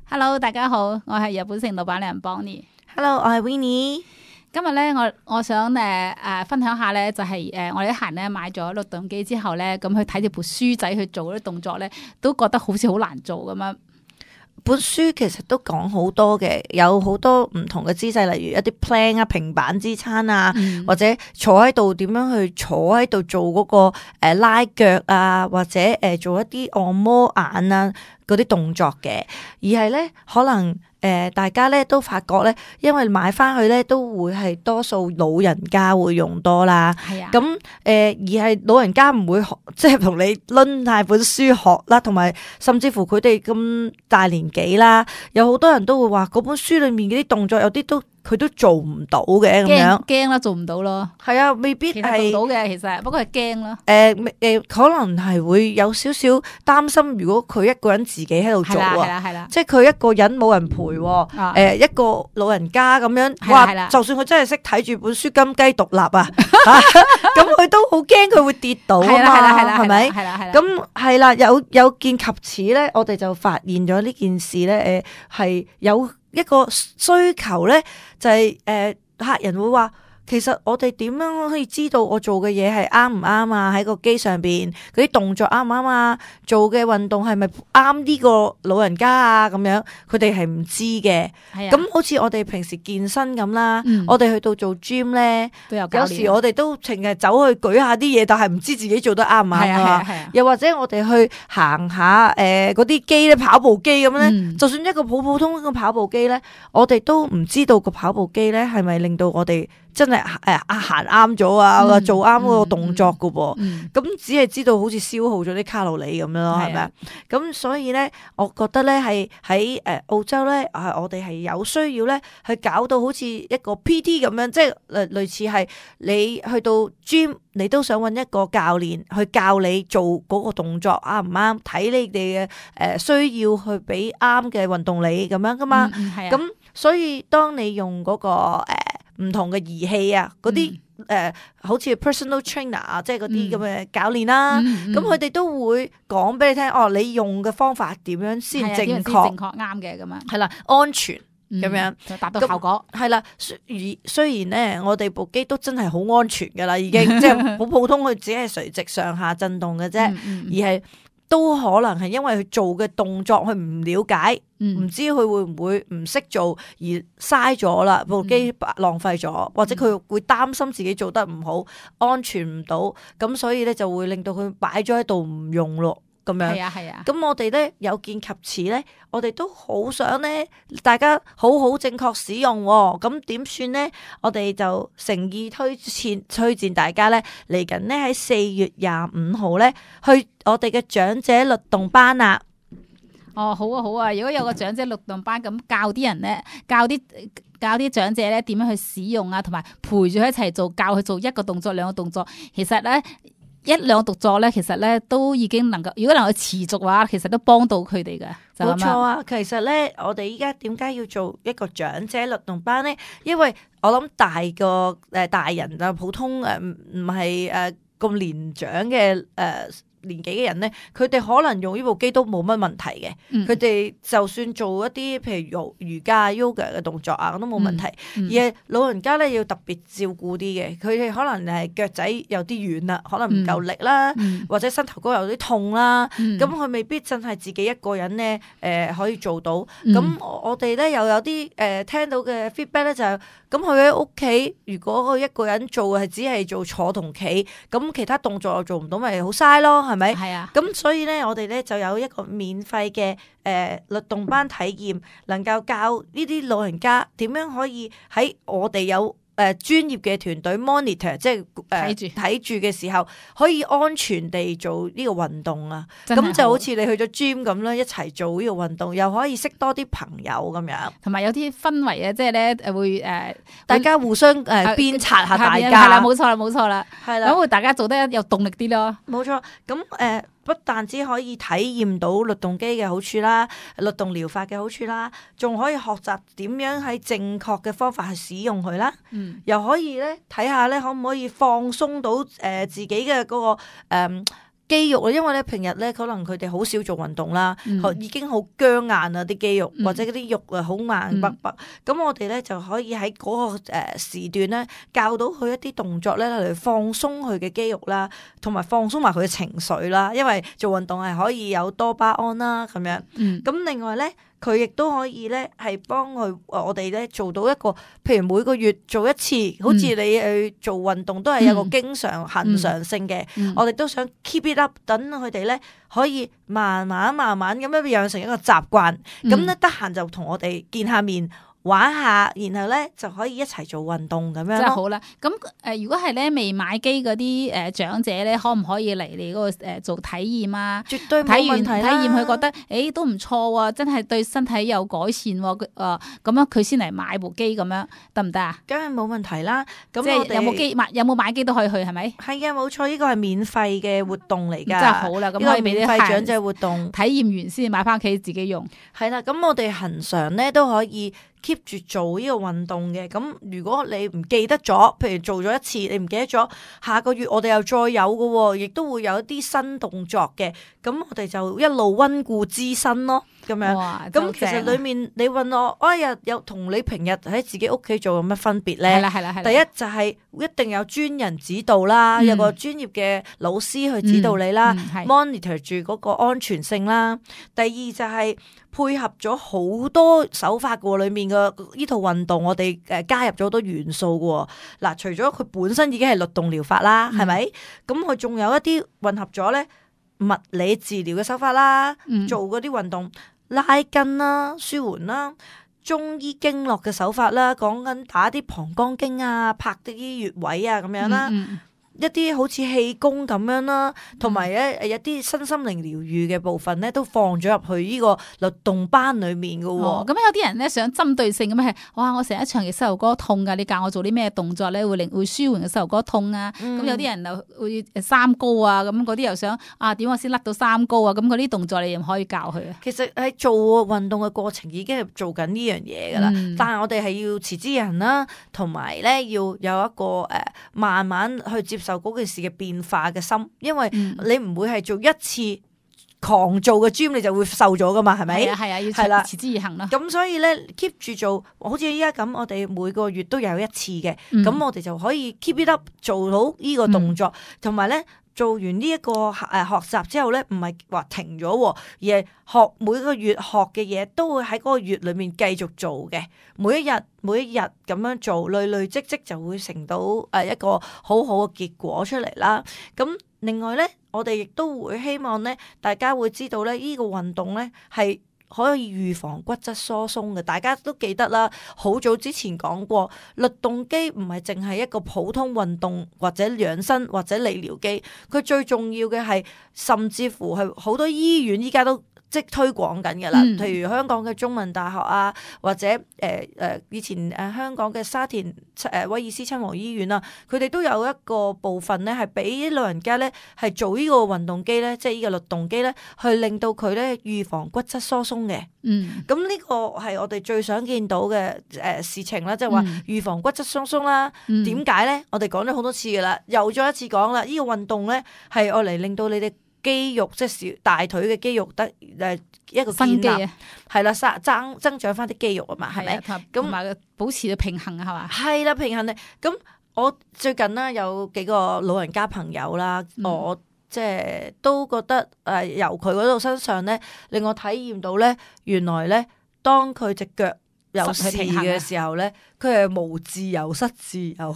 Hello，大家好，我係日本城老闆娘 Bonnie。Hello，我係 Winnie。今日咧，我想分享下咧，就係我哋啲客人咧買咗律動機之後咧，咁去睇住部書仔去做嗰啲動作咧，都覺得好似好難做咁樣。本書其實都講好多嘅，有好多唔同嘅姿勢，例如一啲 plank 啊、平板支撐啊，或者坐喺度點樣去坐喺度做嗰個拉腳啊，或者做一啲按摩眼啊嗰啲動作嘅，而係咧可能大家咧都發覺咧，因為買翻去咧都會係多數老人家會用多啦。係啊。咁而係老人家唔會學，即係同你掄下本書學啦，同埋甚至乎佢哋咁大年紀啦，有好多人都會話嗰本書裏面嗰啲動作有啲佢都做唔到嘅咁樣，驚啦，做唔到咯。係啊，未必係其實做到嘅，其實不過係驚咯。可能係會有少少擔心，如果佢一個人自己喺度做係啦，即係佢一個人冇人陪，一個老人家咁樣，哇！就算佢真係識睇住本書金雞獨立啊，咁佢都好驚佢會跌倒啊嘛，係咪？係啦。咁係啦，有見及此咧，我哋就發現咗呢件事咧，係有一個需求咧，就係客人會話，其實我哋點樣可以知道我做嘅嘢係啱唔啱啊？喺個機上邊嗰啲動作啱唔啱啊？做嘅運動係咪啱呢個老人家啊？咁樣佢哋係唔知嘅。咁好似我哋平時健身咁啦，我哋去到做 gym 咧，有時我哋都淨係走去舉下啲嘢，但係唔知自己做得啱唔啱啊。又或者我哋去行下嗰啲機咧，跑步機咁咧，就算一個普通嘅跑步機咧，我哋都唔知道個跑步機咧係咪令到我哋真係行啱咗啊，做啱嗰個動作噶噃，咁只係知道好似消耗咗啲卡路里咁樣咯，係咪啊？咁所以咧，我覺得咧係喺澳洲咧，我哋係有需要咧去搞到好似一個 PT 咁樣，即係類似係你去到 gym，你都想揾一個教練去教你做嗰個動作啱唔啱，睇你哋嘅需要去俾啱嘅運動你咁樣噶嘛。咁所以當你用嗰個唔同嘅儀器啊，嗰啲好似 personal trainer 啊，即係嗰啲咁嘅教練啦，咁佢哋都會講俾你聽，你用嘅方法點樣先正確啱嘅咁樣，係啦，安全咁樣就達到效果。係啦，雖然咧，我哋部機都真係好安全噶啦，已經即係好普通，佢只係垂直上下震動嘅啫，而係都可能係因為佢做嘅動作佢唔了解。唔知佢會唔會唔識做而嘥咗啦，部機浪費咗，或者佢會擔心自己做得唔好，安全唔到，咁所以咧就會令到佢擺咗喺度唔用咯，咁樣。係啊。咁我哋咧有見及此咧，我哋都好想咧大家好好正確使用喎，咁點算咧？我哋就誠意推薦大家咧嚟緊咧喺4月25號咧去我哋嘅長者律動班啊！好啊！如果有個長者律動班咁教啲人咧，教啲長者咧點樣去使用啊，同埋陪住佢一齊做，教佢做一個動作、兩個動作。其實咧一兩個動作咧，其實咧都已經能夠，如果能夠持續嘅話，其實都幫到佢哋嘅。冇錯啊！其實咧，我哋依家點解要做一個長者律動班咧？因為我諗大人啊，普通唔係咁年長嘅年紀嘅人咧，佢哋可能用呢部機都冇乜問題嘅。佢哋就算做一啲譬如瑜伽、yoga 嘅動作啊，都冇問題。而係老人家咧要特別照顧啲嘅，佢哋可能係腳仔有啲軟啦，可能唔夠力啦，或者膝頭哥有啲痛啦，咁佢未必真係自己一個人咧可以做到。咁我哋咧又有啲聽到嘅 feedback 咧就係，咁佢喺屋企如果佢一個人做係只係做坐同企，咁其他動作又做唔到，咪好嘥咯。係咪？係啊。咁所以咧，我哋咧就有一個免費嘅律動班體驗，能夠教呢啲老人家點樣可以喺我哋有專業嘅團隊 monitor， 即係睇住嘅時候，可以安全地做呢個運動啊。咁就好似你去咗 gym 咁啦，一齊做呢個運動，又可以識多啲朋友咁樣，同埋有啲氛圍啊，即係咧會大家互相鞭策下大家。係啦，冇錯啦，係啦，咁會大家做得有動力啲咯。冇錯，咁不但只可以體驗到律動機嘅好處啦，律動療法嘅好處啦，仲可以學習點樣喺正確嘅方法去使用佢啦。又可以咧睇下咧，可唔可以放鬆到自己嘅嗰個肌肉啊，因為咧平日咧可能佢哋好少做運動啦，嗯已經好僵硬啊啲肌肉，或者嗰啲肉啊好硬卜卜。咁我哋咧就可以喺嗰個時段咧教到佢一啲動作咧嚟放鬆佢嘅肌肉啦，同埋放鬆埋佢嘅情緒啦。因為做運動係可以有多巴胺啦咁樣。咁另外咧，佢亦都可以咧係幫我哋咧做到一個，譬如每個月做一次，好似你去做運動都係有個經常恒常性嘅。我哋都想 keep it up，等佢哋咧可以慢慢咁樣養成一個習慣。咁咧得閒就同我哋見下面。玩下，然後咧就可以一齊做運動咁樣咯。真係好啦。咁如果係咧未買機嗰啲長者咧，可唔可以嚟你嗰個做體驗啊？絕對冇問題啦。體驗佢覺得都唔錯喎，真係對身體有改善喎。咁樣佢先嚟買部機咁樣得唔得啊？梗係冇問題啦。咁即係有冇買機都可以去係咪？係嘅，冇錯，呢個係免費嘅活動嚟㗎。真係好啦，咁可以俾啲免費長者活動體驗完先買翻屋企自己用。係啦，咁我哋恒常咧都可以keep 住做呢個運動嘅。咁如果你唔記得咗，譬如做咗一次你唔記得咗，下個月我哋又再有嘅喎，亦都會有一啲新動作嘅。咁我哋就一路溫故知新咯，咁樣。咁其實裡面你問我，哎呀，有同你平日喺自己屋企做有乜分別咧？係啦。第一就係一定有專人指導啦，有個專業嘅老師去指導你啦，monitor 住嗰個安全性啦。第二就係配合咗好多手法嘅裏面嘅呢套運動，我哋加入咗好多元素嘅。嗱，除咗佢本身已經係律動療法啦，係咪？咁佢仲有一啲混合咗咧物理治療嘅手法啦，做嗰啲運動拉筋啦、舒緩啦。中醫經絡嘅手法啦，講緊打啲膀胱經啊，拍啲穴位啊咁樣啦。一啲好似氣功咁樣啦，同埋咧一啲身心靈療愈嘅部分咧，都放咗入去呢個律動班裏面嘅喎。咁有啲人咧想針對性咁係，哇！我成日長期膝頭哥痛㗎，你教我做啲咩動作咧會舒緩個膝頭哥痛啊？咁有啲人就會三高啊，咁嗰啲又想點我先甩到三高啊？咁嗰啲動作你又可以教佢啊？其實喺做運動嘅過程已經係做緊呢樣嘢㗎啦，但係我哋係要持之以恆啦，同埋咧要有一個慢慢去接受嗰件事嘅變化嘅心，因為你唔會係做一次狂做嘅 gym 你就會瘦咗噶嘛，係咪？係啊，要持之以恆啦。咁所以咧 keep 住做，好似依家咁，我哋每個月都有一次嘅，咁我哋就可以 keep it up 做到呢個動作，同埋咧做完呢一個學習之後咧，唔係話停咗，而係每個月學嘅嘢都會喺嗰個月裏面繼續做嘅，每一日咁樣做，累積就會成到一個好好嘅結果出嚟啦。咁另外咧，我哋亦都會希望咧，大家會知道咧，呢個運動咧係可以預防骨質疏鬆嘅。大家都記得啦，好早之前講過，律動機唔係淨係一個普通運動或者養生或者理療機，佢最重要嘅係，甚至乎係好多醫院依家都即推廣緊嘅啦，譬如香港嘅中文大學啊，或者以前香港嘅沙田威爾斯親王醫院啊，佢哋都有一個部分咧，係俾老人家咧係做呢個運動機咧，即係呢個律動機咧，去令到佢咧預防骨質疏鬆嘅。咁呢個係我哋最想見到嘅事情啦，即係話預防骨質疏鬆啦。點解咧？我哋講咗好多次噶啦，又再一次講啦，呢個運動咧係愛嚟令到你哋肌肉即係大腿嘅肌肉得一個建立，係啦，增長翻啲肌肉啊嘛，係咪？咁同埋保持到平衡啊，係嘛？係啦，平衡咧。咁我最近啦有幾個老人家朋友啦，我即係都覺得由佢嗰度身上咧，令我體驗到咧，原來咧當佢隻腳有事嘅時候咧，佢係無自由失自由，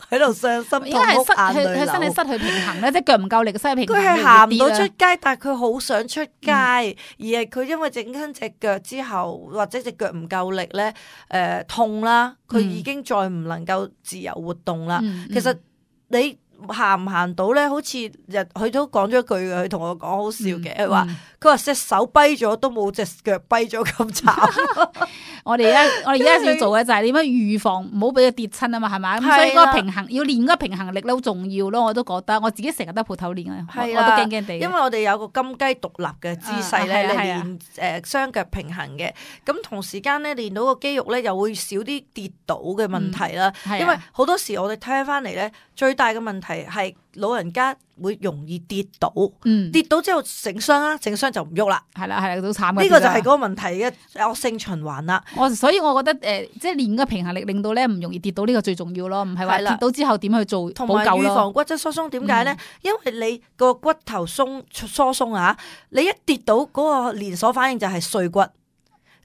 喺度傷心痛哭，眼淚流。佢身體失去平衡咧，即係腳唔夠力，失去平衡。佢係行唔到出街，但係佢好想出街，而係佢因為整親隻腳之後，或者隻腳唔夠力咧，痛啦，佢已經再唔能夠自由活動啦。其實你行唔行到咧？好似佢都講咗一句嘅，佢同我講好笑嘅，佢話隻手跛咗都冇隻腳跛咗咁慘。我哋而家要做嘅就係點樣預防唔好俾佢跌親啊嘛，係咪？咁所以嗰個平衡要練嗰個平衡力咧好重要咯，我都覺得我自己成日都鋪頭練啊，我都驚驚地。因為我哋有個金雞獨立嘅姿勢咧嚟練雙腳平衡嘅，咁同時間咧練到個肌肉咧又會少啲跌倒嘅問題啦。因為好多時我哋聽翻嚟咧，最大嘅問題係老人家會容易跌倒，嗯，跌倒之後整傷啦，整傷就唔喐啦。係啦係啦，都慘嘅。呢個就係嗰個問題嘅惡性循環啦。所以我覺得即係練個平衡力，令到咧唔容易跌倒，呢個最重要咯，唔係話係啦跌倒之後點去做同埋預補救咯。防骨質疏鬆點解咧？因為你個骨頭疏鬆啊，你一跌倒嗰個連鎖反應就係碎骨，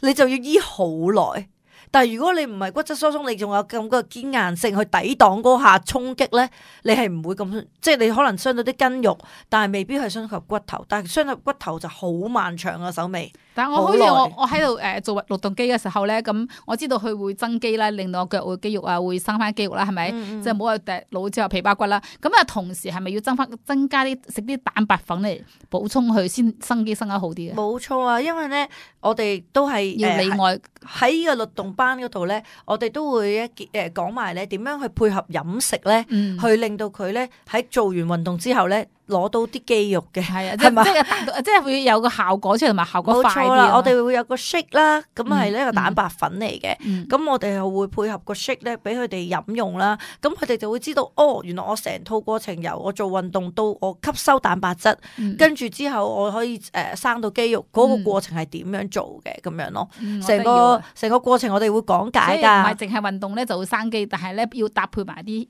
你就要醫好耐。但係如果你唔係骨質疏鬆，你仲有咁個堅硬性去抵擋嗰下衝擊咧，你係唔會咁，即係你可能傷到啲筋肉，但係未必係傷及骨頭。但係傷及骨頭就好漫長啊，手尾。但係我好似我喺度做律動機嘅時候咧，咁我知道佢會增肌啦，令到我腳會肌肉啊會生翻肌肉啦，係咪？即係唔好話老之後皮包骨啦。咁啊，同時係咪要增加啲食啲蛋白粉嚟補充佢先生肌生得好啲嘅？冇錯啊，因為咧我哋都係要里外喺呢個律動班嗰度咧，我哋都會講埋咧點樣去配合飲食咧，去令到佢咧喺做完運動之後咧攞到啲肌肉嘅，係啊，係嘛？即係會有個效果出嚟，同埋效果快啲。冇錯啦，我哋會有個 shake 啦，咁係呢個蛋白粉嚟嘅，咁我哋又會配合個 shake 咧，俾佢哋飲用啦。咁佢哋就會知道，哦，原來我成套過程由我做運動到我吸收蛋白質，跟住之後我可以生到肌肉，嗰個過程係點樣做嘅咁樣咯。成個過程我哋會講解㗎，唔係淨係運動咧就會生肌，但係咧要搭配埋啲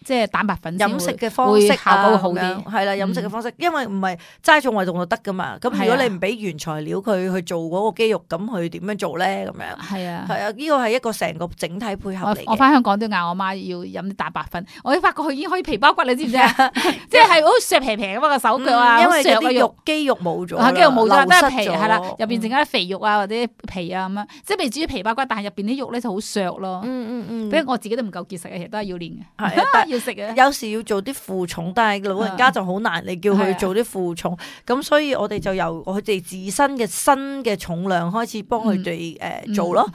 即係蛋白粉飲食嘅方式效果會好啲。係啦，飲食嘅方式，因為唔係齋做運動就得噶嘛。咁如果你唔俾原材料佢去做嗰個肌肉，咁佢點樣做咧？咁樣係啊，係啊，呢個係一個成個整體配合嚟嘅。我翻香港都嗌我媽要飲啲蛋白粉，我發覺佢已經可以皮包骨，你知唔知啊？即係好削皮皮咁個手腳啊，因為啲肌肉冇咗，肌肉冇咗，都係皮係啦，入邊剩翻啲肥肉啊或者皮啊咁樣，即係未至於皮包骨，但係入邊啲肉咧就好削咯。比如我自己都唔夠結實嘅，其實都係要練嘅，係要食嘅。有時要做啲負重，但係老人家就好難，你叫佢做啲負重，咁所以我哋就由佢哋自身嘅新嘅重量開始幫佢哋做咯。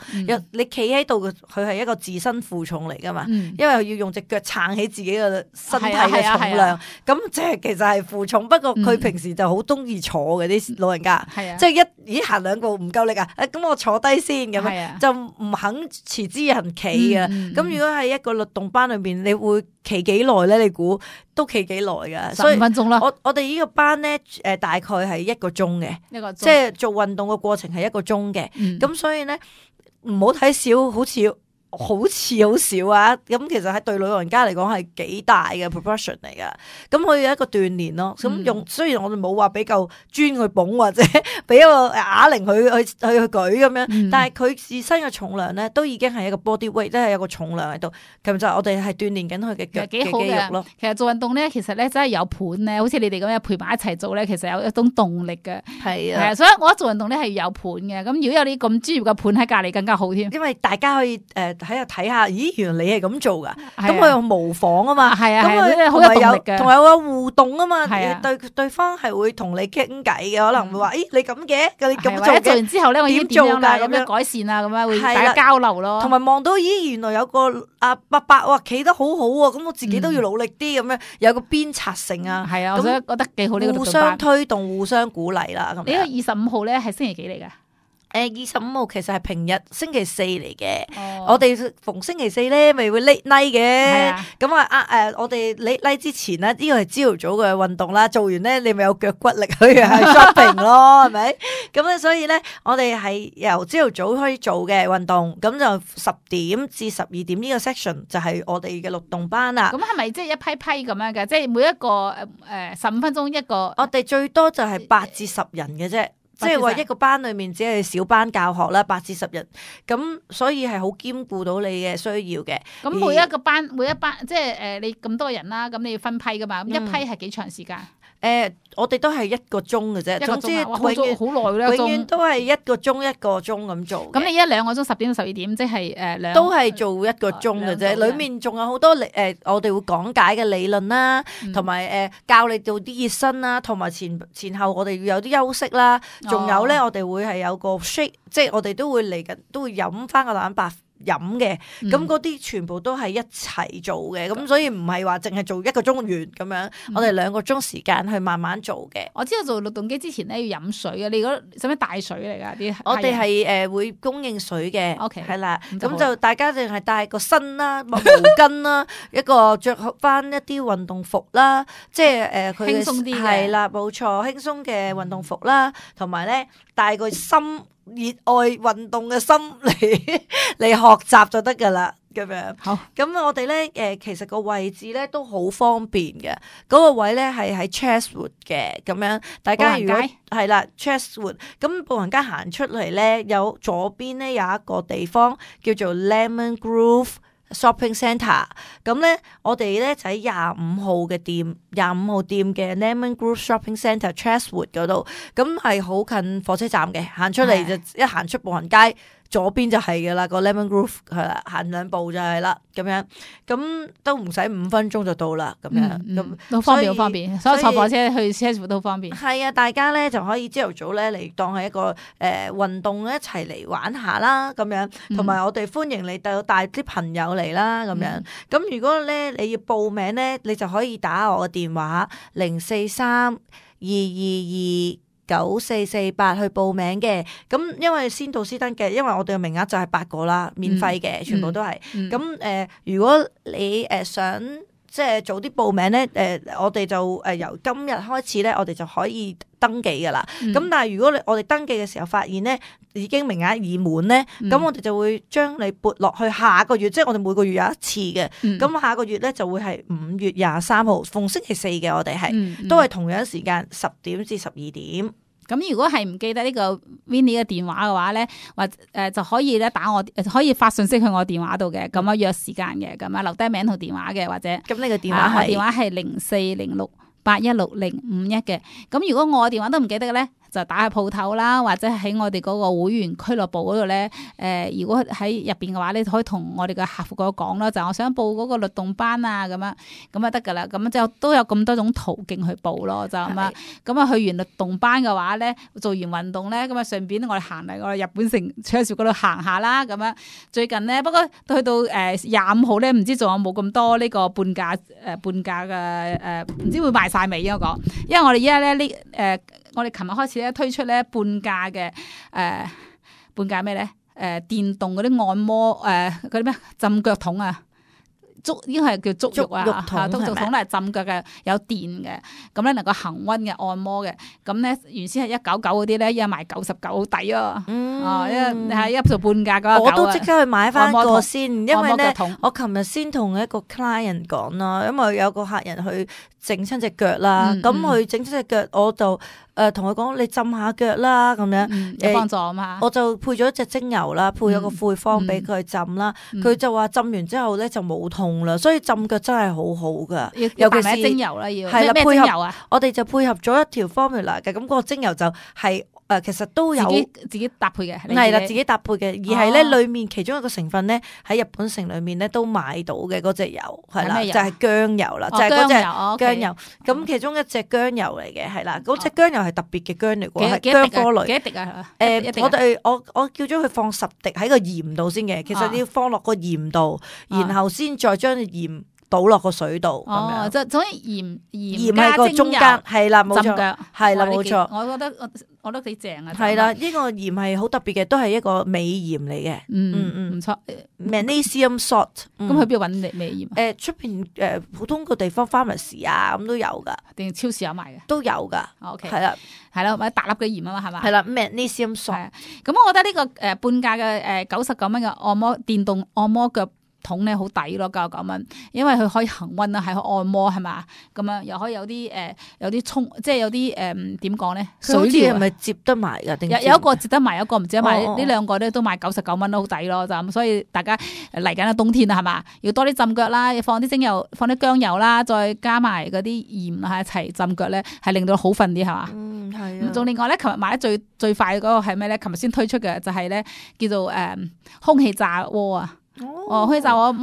你企喺度，佢係一個自身負重嚟噶嘛，因為要用隻腳撐起自己嘅身體嘅重量，咁即係其實係負重。不過佢平時就好中意坐嘅啲老人家，即係咦行兩步唔夠力啊，咁我坐低先咁樣，就唔肯持之以恆企嘅。咁如果喺一個律動班裏邊，你會企幾耐咧？你估都企幾耐噶？15分鐘啦。我哋呢個班咧，大概係1個鐘嘅，即係做運動嘅過程係1個鐘嘅。咁所以咧，唔好睇少，好似好少啊！咁其實喺對老人家嚟講係幾大嘅 proportion 嚟噶。咁佢有一個鍛鍊咯。咁雖然我哋冇話俾嚿磚去捧或者俾一個啞鈴去舉咁樣，但係佢自身嘅重量咧都已經係一個 body weight，即係有個重量喺度。其實就我哋係鍛鍊緊佢嘅腳嘅肌肉咯。其實做運動咧，其實咧真係有盤咧，好似你哋咁樣陪埋一齊做咧，其實有一種動力嘅。係啊，所以我覺得做運動咧係要有盤嘅。咁如果有啲咁專業嘅盤喺隔離，更加好添。因為大家可以喺度睇下，咦，原來你係咁做噶，咁佢又模仿啊嘛，咁佢好有動力嘅，同埋有互動啊嘛，對方係會同你傾偈嘅，可能會話，咦，你咁嘅，你咁做嘅，做完之後咧，我點做㗎？咁樣改善啊，咁樣會大家交流咯，同埋望到，咦，原來有個阿伯伯哇，企得好好喎，咁我自己都要努力啲咁樣，有個鞭策性啊，係啊，我覺得幾好呢個，互相推動、互相鼓勵啦。咁呢個25號咧係星期幾嚟㗎？25號其實係平日星期四嚟嘅，我哋逢星期四咧咪會 late night 嘅，咁我哋 late night 之前咧，呢個係朝頭早嘅運動啦，做完咧你咪有腳骨力去 shopping 咯，係咪？咁咧所以咧，我哋係由朝頭早開始做嘅運動，咁就10點至12點呢個 section 就係我哋嘅律動班啦。咁係咪即係一批批咁樣嘅？即係每一個15分鐘一個？我哋最多就係8至10人嘅啫。即係話一個班裏面只係小班教學啦，8至10人，咁所以係好兼顧到你嘅需要嘅。咁每一班即係你咁多人啦，咁你要分批噶嘛？咁一批係幾長時間？我哋都係1個鐘嘅啫，總之永遠都係1個鐘咁做。咁你1-2個鐘10點到12點，即係都係做1個鐘嘅啫。裏面仲有好多我哋會講解嘅理論啦，同埋教你做啲熱身啦，同埋前後我哋要有啲休息啦。仲有咧，我哋會係有個 shake，即係我哋都會嚟緊，都會飲翻個蛋白飲嘅，咁嗰啲全部都係一齊做嘅，咁所以唔係話淨係做1個鐘完咁樣，我哋2個鐘時間去慢慢做嘅。我知道做律動機之前咧要飲水嘅，你嗰使唔使帶水嚟㗎啲？我哋係會供應水嘅 ，OK 係啦，咁咁就大家淨係帶個身啦、毛巾啦，一個着翻一啲運動服啦，即係佢輕鬆啲嘅係啦，冇錯，輕鬆嘅運動服啦，同埋咧帶個心熱愛運動嘅心嚟學習就得噶啦。咁樣，好，咁我哋咧其實個位置咧都好方便嘅，嗰個位咧係喺 Chatswood 嘅，咁樣大家如果係啦 Chatswood，咁步行街行出嚟咧，有左邊咧有一個地方叫做 Lemon Grove Shopping Centre， 咁咧我哋咧就喺25號嘅店，25號店嘅 Lemon Grove Shopping Centre Chatswood 嗰度，咁係好近火車站嘅，行出嚟就一行出步行街。左邊就係噶啦，個 Lemon Grove 係啦，行2步就係啦，咁樣，咁都唔使5分鐘就到啦，咁樣，咁好方便，好方便，所以坐火車去車庫都好方便。係啊，大家咧就可以朝頭早咧嚟當係一個運動一齊嚟玩下啦，咁樣，同埋我哋歡迎你帶啲朋友嚟啦，咁樣。咁如果咧你要報名咧，你就可以打我嘅電話043-222-9448去報名嘅，咁因為先到先得嘅，因為我哋嘅名額就係8個啦，免費嘅，全部都係。咁如果你想即係早啲報名咧，我哋就由今日開始咧，我哋就可以登記噶啦。咁但係如果我哋登記嘅時候發現咧，已經名額已滿咧，咁我哋就會將你撥落去下個月，即係我哋每個月有一次嘅。咁下個月咧就會係5月23號，逢星期4嘅，我哋係都係同樣時間10點至12點。咁如果係唔記得呢個 Winnie 嘅電話嘅話咧，或就可以咧打我，可以發信息去我電話度嘅，咁樣約時間嘅，咁樣留低名同電話嘅，或者咁呢個電話係我電話係0406816051嘅。咁如果我電話都唔記得嘅咧，就打去鋪頭啦，或者喺我哋嗰個會員俱樂部嗰度咧。如果喺入邊嘅話，你可以同我哋嘅客服嗰個講啦，就我想報嗰個律動班啊，咁樣咁啊得噶啦。咁就都有咁多種途徑去報咯，就咁啊。咁啊去完律動班嘅話咧，做完運動咧，咁啊順便我哋行嚟我哋日本城車兆嗰度行下啦。咁樣最近咧，不過去到25號咧，唔知仲有冇咁多呢個半價嘅唔知會賣晒未啊？我講，因為我哋依家咧我哋琴日開始咧推出咧半價嘅半價咩咧？電動嗰啲按摩嗰啲咩浸腳桶啊！應該係叫足浴啊，足浴桶咧係浸腳嘅，有電嘅，咁咧能夠恆溫嘅按摩嘅，咁咧原先係199嗰啲咧，而家賣99好抵啊！一做半價嗰我都即刻去買翻個先，因為咧我琴日先同一個 client 講啦，因為有個客人去整親隻腳啦，咁佢整親隻腳，我就同佢講你浸下腳啦，咁樣有幫助啊嘛，我就配咗一隻精油啦，配咗個配方俾佢浸啦，佢就話浸完之後咧就冇痛啦，所以浸腳真係好好噶，尤其是精油啦，要係啦，咩精油啊？我哋就配合咗一條 formula 嘅，咁個精油就係其實都有自己搭配嘅，係啦，自己搭配嘅，而係咧裡面其中一個成分咧喺日本城裡面咧都買到嘅嗰隻油係啦，就係薑油啦，就係嗰隻薑油。咁其中一隻薑油嚟嘅係啦，嗰隻薑油係特別嘅薑嚟嘅，係薑科類。幾滴啊？我叫咗佢放10滴喺個鹽度先嘅，其實你要放落個鹽度，然後先再將鹽倒落個水度咁樣。就總之鹽喺個中間，係啦，冇錯，係啦，冇錯。我覺得幾正啊！係啦，呢個鹽係好特別嘅，都係一個美鹽嚟嘅。唔錯。Magnesium salt。咁去邊度揾美鹽？出邊普通個地方 pharmacy 啊，咁都有噶。定超市有賣嘅？都有噶。OK。係啦，係啦，買大粒嘅鹽啊嘛，係嘛？係啦，Magnesium salt。咁我覺得呢個半價嘅99蚊嘅電動按摩腳桶咧好抵咯，99蚊，因為佢可以恆溫啊，係去按摩係嘛，咁樣又可以有啲沖，即係有啲點講咧？水療係咪接得埋噶？有一個接得埋，有一個唔接得埋，呢兩個咧都賣99蚊都好抵咯，就咁。所以大家嚟緊嘅冬天啊，係嘛，要多啲浸腳啦，要放啲精油，放啲薑油啦，再加埋嗰啲鹽啊一齊浸腳咧，係令到好瞓啲係嘛。係啊。仲另外咧，琴日買得最快嗰個係咩咧？琴日先推出嘅就係咧叫做空氣炸鍋啊。空氣炸鍋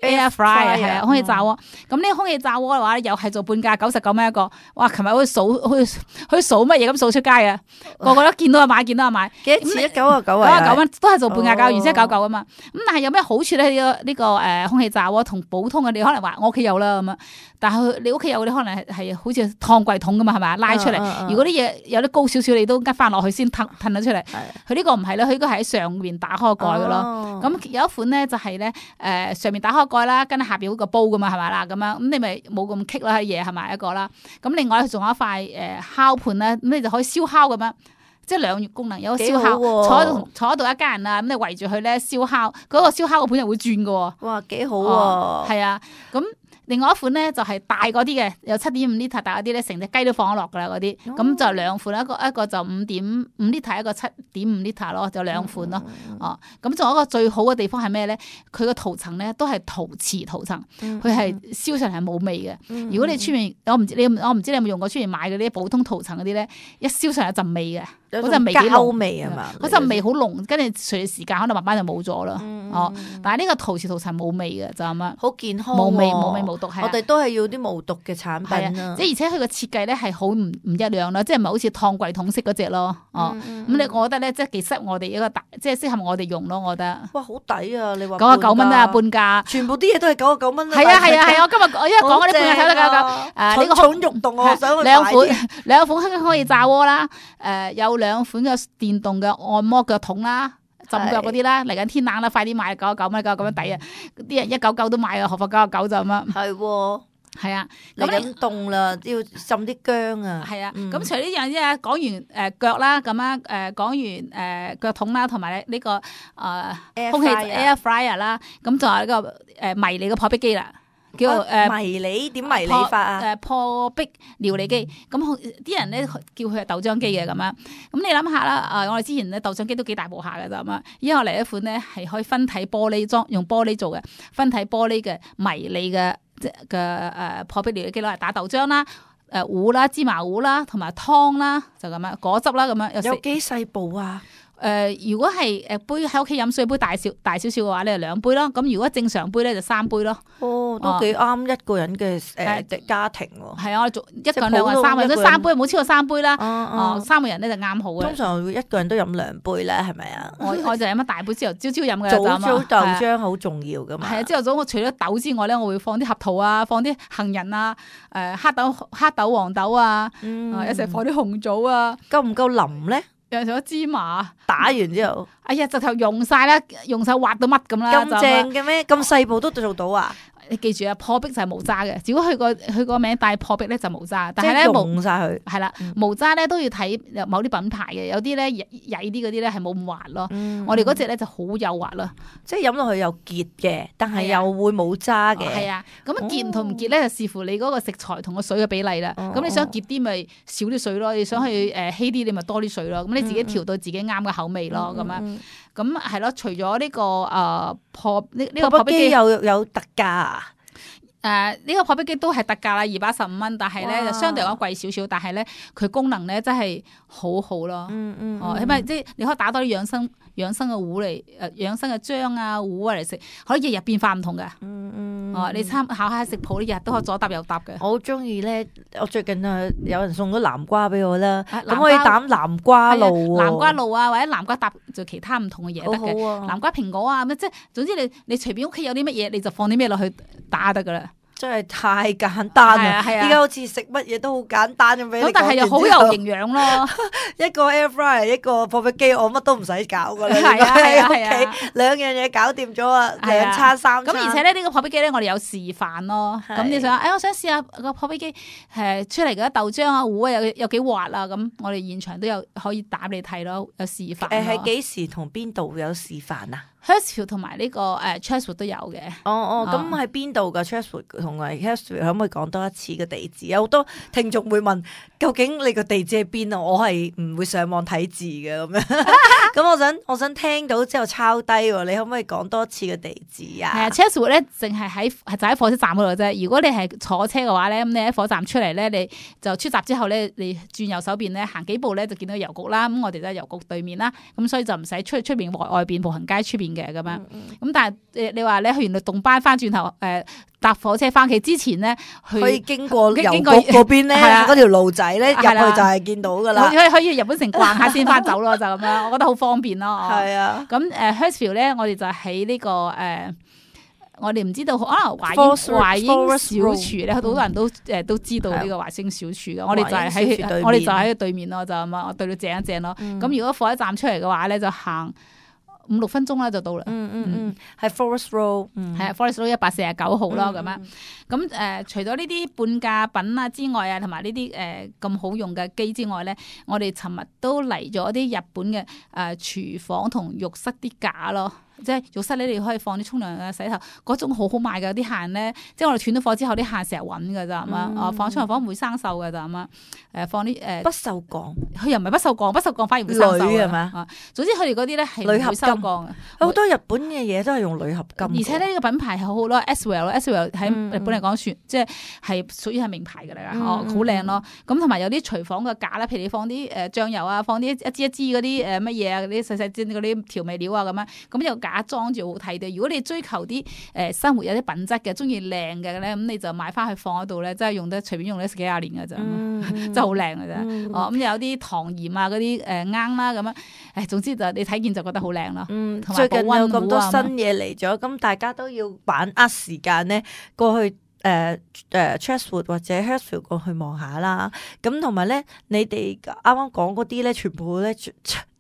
air fryer 係啊，空氣炸鍋。咁呢個空氣炸鍋嘅話，又係做半價99蚊一個。哇！琴日好似數乜嘢咁數出街啊，個個都見到就買，見到就買。幾多錢？99啊，99蚊都係做半價價，原先99啊嘛。咁但係有咩好處咧？呢個空氣炸鍋同普通嘅，你可能話我屋企有啦咁啊，但係你屋企有啲可能係好似燙櫃桶咁嘛，係咪拉出嚟？如果啲嘢有啲高少少，你都拮翻落去先褪咗出嚟。佢呢個唔係咧，佢應該係喺上面打開個蓋嘅咯。咁有一款咧就係咧上面打開個蓋啦，跟住下邊嗰個煲噶嘛，係咪啦？咁樣咁你咪冇咁棘啦，嘢係咪一個啦？咁另外仲有一塊烤盤咧，咁你就可以燒烤咁樣。即係兩功能，有個燒烤，坐喺度一家人啊，咁你圍住佢咧燒烤，嗰個燒烤個盤又會轉嘅。哇，幾好喎！係啊，咁另外一款咧就係大嗰啲嘅，有7.5 litre 大嗰啲咧，成隻雞都放咗落噶啦嗰啲，咁就兩款，一個就5.5 litre，一個7.5 litre 咯，就兩款咯。哦，咁仲有一個最好嘅地方係咩咧？佢個塗層咧都係陶瓷塗層，佢係燒上嚟係冇味嘅。如果你出面，我唔知你有冇用過出面買嗰啲普通塗層嗰啲咧，一燒上有陣味嘅。嗰陣味幾濃味係嘛？嗰陣味好濃，跟住隨住時間可能慢慢就冇咗啦。哦，但係呢個陶瓷塗層冇味嘅就咁樣，好健康，冇味無毒。我哋都係要啲無毒嘅產品啊！即係而且佢個設計咧係好唔一樣啦，即係唔係好似燙櫃桶式嗰隻咯。哦，咁我覺得咧即係幾適合我哋一個即係適合我哋用咯。我覺得哇，好抵啊！你話99蚊啊，半價，全部啲嘢都係99蚊。係啊！我今日因為講嗰啲半價睇得99。蠢蠢欲動，我想去兩款空氣炸鍋啦，有2款嘅電動嘅按摩腳桶啦，浸腳嗰啲啦，嚟緊天冷啦，快啲買99蚊99蚊抵啊！啲人199都買啊，何況99就咁樣。係啊，嚟緊凍啦，要浸啲薑啊。係啊，咁除呢樣之外，講完腳啦，咁樣講完腳桶啦，同埋呢個空氣 air fryer 啦，咁仲有呢個迷你嘅破壁機啦。叫迷你點迷你法啊？破壁料理機，咁啲人咧叫佢係豆漿機嘅咁樣。咁你諗下啦，我哋之前咧豆漿機都幾大部下嘅咋咁啊？依家我嚟一款咧係可以分體玻璃裝，用玻璃做嘅分體玻璃嘅迷你嘅破壁料理機攞嚟打豆漿啦、糊啦、芝麻糊啦，同埋湯啦，就咁樣果汁啦咁樣。有幾細部啊？如果係杯喺屋企飲水杯大少少嘅話咧，就2杯咯。咁如果正常杯咧就3杯咯。哦，都幾啱一個人嘅家庭喎。係啊，我哋做一個人、2個人、3個人，都3杯，冇超過3杯啦。3個人咧就啱好嘅。通常一個人都飲2杯咧，係咪啊？我就飲一大杯之後，朝飲嘅。早豆漿好重要噶嘛。係啊，朝頭早我除咗豆之外咧，我會放啲合桃啊，放啲杏仁啊，黑豆、黃豆啊，一齊放啲紅棗啊。夠唔夠腍咧？有咗芝麻打完之後，哎呀，直頭用晒啦，用晒滑到乜咁啦。咁正嘅咩？咁細部都做到啊？你記住啊，破壁就係無渣嘅。如果佢個名帶破壁咧就無渣，但係咧用晒佢係啦，無渣咧都要睇某啲品牌嘅，有啲咧曳啲嗰啲咧係冇咁滑咯。我哋嗰隻咧就好幼滑咯，即係飲落去又結嘅，但係又會冇渣嘅。係啊，咁結同唔結咧就視乎你嗰個食材同個水嘅比例啦。咁你想結啲咪少啲水咯，你想去稀啲你咪多啲水咯。咁你自己調到自己啱嘅口味咯，咁樣。咁係咯，除咗呢個破壁機有特價啊？呢個破壁機都係特價啦，215蚊，但係咧就相對嚟講貴少少，但係咧佢功能咧真係好好咯。起碼即係你可以打多啲養生嘅糊嚟，養生嘅漿啊糊啊嚟食，可以日日變化唔同嘅。你參考下食譜，日日都可以左搭右搭嘅。我好中意咧，我最近有人送咗南瓜俾我啦，咁可以打南瓜露，南瓜露啊，或者南瓜搭做其他唔同嘅嘢得嘅。南瓜蘋果啊，咁即係總之你隨便屋企有啲乜嘢，你就放啲咩落去打得噶啦。真係太簡單啦！依家好似食乜嘢都好簡單咁俾你講，但係又好有營養咯。一個 air fryer，一個破壁機，我乜都唔使搞噶啦。係啊，喺屋企2樣嘢搞掂咗啊，2餐3餐。咁而且咧呢個破壁機咧，我哋有示範咯。咁你想，我想試下個破壁機出嚟嘅豆漿啊糊啊有幾滑啊？咁我哋現場都有可以打俾你睇咯，有示範。係幾時同邊度有示範啊？ Hurstville 同埋呢個Chatswood 都有嘅。咁喺邊度噶 Chatswood 同埋 Hurstville 可唔可以講多一次個地址？有好多聽眾會問，究竟你個地址喺邊啊？我係唔會上網睇字嘅咁樣。咁我想聽到之後抄低喎，你可唔可以講多次個地址啊？係啊 Chatswood 咧，淨係喺火車站嗰度啫。如果你係坐車嘅話咧，咁你喺火車站出嚟咧，你就出閘之後咧，你轉右手邊咧，行幾步咧就見到郵局啦。咁我哋就喺郵局對面啦，咁所以就唔使出邊外邊步行街出邊嘅咁樣。咁但係你話你去完律動班翻轉頭搭火車翻屋企之前咧，可以經過郵局嗰邊咧，嗰條路仔咧入去就係見到噶啦。可以日本城逛下先翻走咯，就咁樣，我覺得好方便咯。係啊。咁Hurstville 咧，我哋就喺呢個我哋唔知道可能華英小廚咧，好多人都知道呢個華英小廚嘅。我哋就喺對面咯，就咁啊，我對到正一正咯。咁如果火車站出嚟嘅話咧，就行5-6分鐘啦就到啦。係 Forest Road， 係啊 Forest Road 149號咯咁樣。咁除咗呢啲半價品啊之外啊，同埋呢啲咁好用嘅機之外咧，我哋尋日都嚟咗啲日本嘅廚房同浴室啲架咯。即係浴室咧，你可以放啲沖涼啊、洗頭嗰種好好賣㗎。啲客人咧，即係我哋斷咗貨之後，啲客人成日揾㗎咋，係嘛？放沖涼房唔會生鏽㗎咋，係嘛？放啲不鏽鋼，佢又唔係不鏽鋼，不鏽鋼反而會生鏽鋁係嘛？總之佢哋嗰啲咧係唔會收鋼嘅。好多日本嘅嘢都係用鋁合金，而且呢個品牌係好好咯 ，Eswell 喺日本嚟講算即係屬於係名牌㗎啦，好靚咯。咁同埋有啲廚房嘅架啦，譬如你放啲醬油啊，放啲一支嗰啲乜嘢啊，嗰啲細細支嗰啲調味料啊咁樣，咁有架裝住好睇嘅。如果你追求啲生活有啲品質嘅，中意靚嘅咧，咁你就買翻去放喺度咧，真係用得隨便用得10幾廿年㗎咋，真係好靚㗎啫。咁有啲糖鹽啊嗰啲罌啦咁樣，總之就你睇見就覺得好靚咯。最近有咁多新嘢嚟咗，咁大家都要把握時間咧過去。Chatswood 或者 Hurstville 過去望下啦，咁同埋咧，你哋啱啱講嗰啲咧，全部咧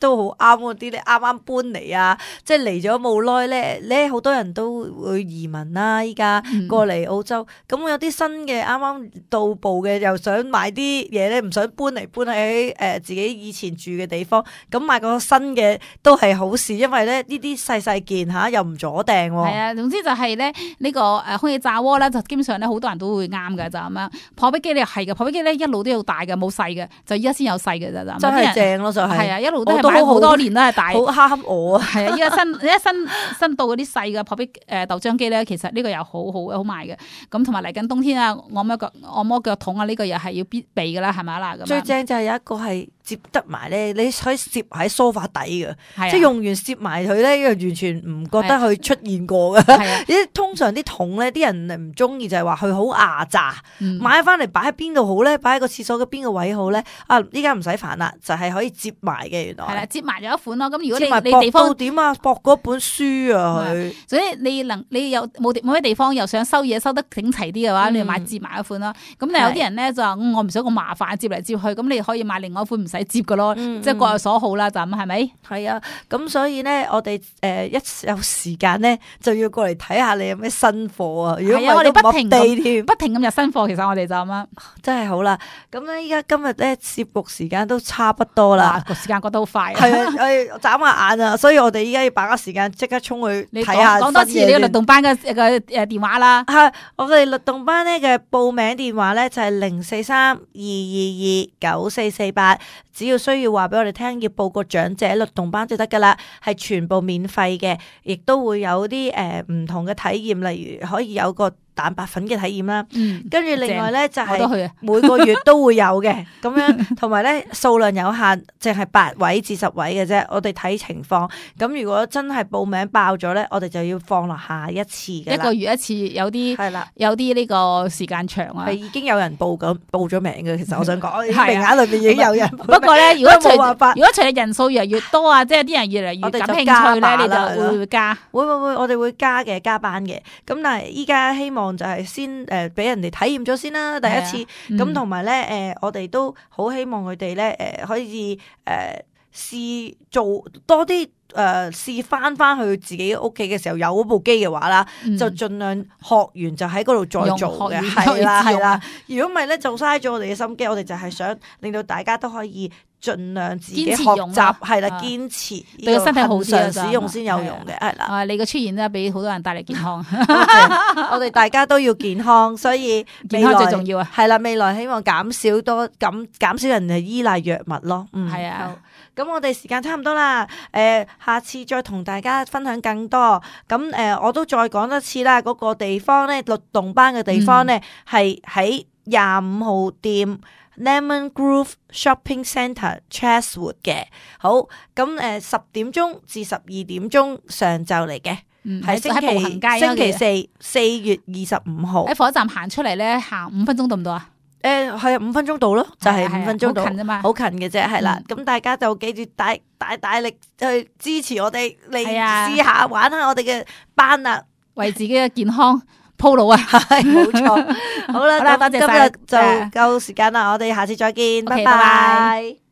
都好啱嗰啲咧，啱啱搬嚟啊，即係嚟咗冇耐咧，好多人都會移民啦，依家過嚟澳洲，咁有啲新嘅啱啱到步嘅，又想買啲嘢咧，唔想搬嚟搬喺自己以前住嘅地方，咁買個新嘅都係好事，因為咧呢啲細件嚇又唔阻掟喎。係啊，總之就係咧呢個空氣炸鍋咧，就基本上咧好多人都會啱嘅就咁樣。破壁機咧係嘅，破壁機咧一路都有大嘅，冇細嘅，就依家先有細嘅咋。真係正咯，就係啊，一路都係買好多年都係大。好啱我啊！係啊，依家新到嗰啲細嘅破壁豆漿機咧，其實呢個又好賣嘅。咁同埋嚟緊冬天啊，按摩腳桶啊，呢個又係要必備噶啦，係咪啦？咁最正就係有一個係接得埋咧，你可以攝喺梳化底嘅，即係用完攝埋佢咧，又完全唔覺得佢出現過嘅。係啊，通常啲桶咧，啲人唔中意就係話佢好牙渣，買翻嚟擺喺邊度好咧？擺喺個廁所嘅邊個位好咧？啊，依家唔使煩啦，就係可以接埋嘅，原來係啦，接埋咗一款咯。咁如果你地方點啊？駁嗰本書啊，佢所以你有冇咩地方又想收嘢收得整齊啲嘅話，你就買接埋一款咯。咁但係有啲人咧就話我唔想咁麻煩接嚟接去，咁你可以買另外一款唔使接嘅咯，即係各有所好啦，就咁係咪？係啊，咁所以咧，我哋一有時間咧就要過嚟睇下你有咩新貨啊！如果我哋不停咁入新貨，其實我哋就咁樣，真係好啦。咁咧依家今日咧攝錄時間都差不多啦，個時間過得好快。係啊，眨下眼啊，所以我哋依家要把握時間，即刻衝去睇下。講多次你個律動班嘅電話啦。係我哋律動班咧嘅報名電話咧就係0432229448，只要需要話俾我哋聽，要報個長者律動班就得噶啦，係全部免費嘅，亦都會有啲唔同嘅體驗，例如可以有個蛋白粉嘅體驗啦，跟住另外咧就係每個月都會有嘅，咁樣同埋咧數量有限，淨係8位至10位嘅啫，我哋睇情況。咁如果真係報名爆咗咧，我哋就要放落下一次嘅，一個月一次，有啲係啦，有啲呢個時間長啊，係已經有人報咗名嘅。其實我想講，名額裏邊已經有人。不過咧，如果隨住人數越嚟越多啊，即係啲人越嚟越感興趣咧，你就會加，會，我哋會加嘅，加班嘅。咁但係依家希望就係先俾人哋體驗咗先啦，第一次咁，同埋咧我哋都好希望佢哋咧可以試做多啲試翻去自己屋企嘅時候有嗰部機嘅話啦，就盡量學完就喺嗰度再做嘅，係啦。如果唔係咧就嘥咗我哋嘅心機，我哋就係想令到大家都可以盡量自己學堅持用習，咯係啦，啊堅持對個身體好啲啊恆常使用先有用嘅，係啦。啊，你嘅出現咧，俾好多人帶嚟健康，我哋大家都要健康，所以健康最重要啊！係啦，未來希望減少人係依賴藥物咯。係啊。咁我哋時間差唔多啦，下次再同大家分享更多。咁我都再講一次啦，嗰個地方咧，律動班嘅地方咧，係喺25號店 Lemon Grove Shopping Centre Chatswood 嘅。好，咁10點鐘至12點鐘上晝嚟嘅，係喺步行街星期四4月25號喺火車站行出嚟咧，行5分鐘到唔到啊？係啊，5分鐘到咯，就係5分鐘到，好近啫嘛，好近嘅啫，係啦。咁大家就記住大力去支持我哋嚟試下玩下我哋嘅班啦，為自己嘅健康鋪路啊！係冇錯。好啦，多謝晒，今日就夠時間啦，我哋下次再見，拜拜。